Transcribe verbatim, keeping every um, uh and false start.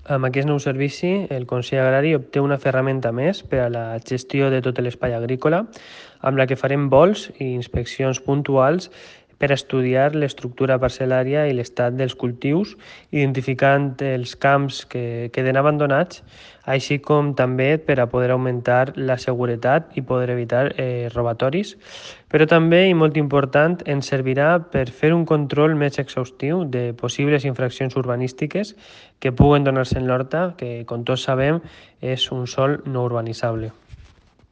Amb aquest nou servici, el Consell Agrari obté una ferramenta més per a la gestió de tot l'espai agrícola, amb la que farem vols i inspeccions puntuals per estudiar l'estructura parcel·lària i l'estat dels cultius, identificant els camps que queden abandonats, així com també per a poder augmentar la seguretat i poder evitar eh, robatoris. Però també, i molt important, ens servirà per fer un control més exhaustiu de possibles infraccions urbanístiques que puguen donar-se en l'horta, que, com tots sabem, és un sòl no urbanitzable.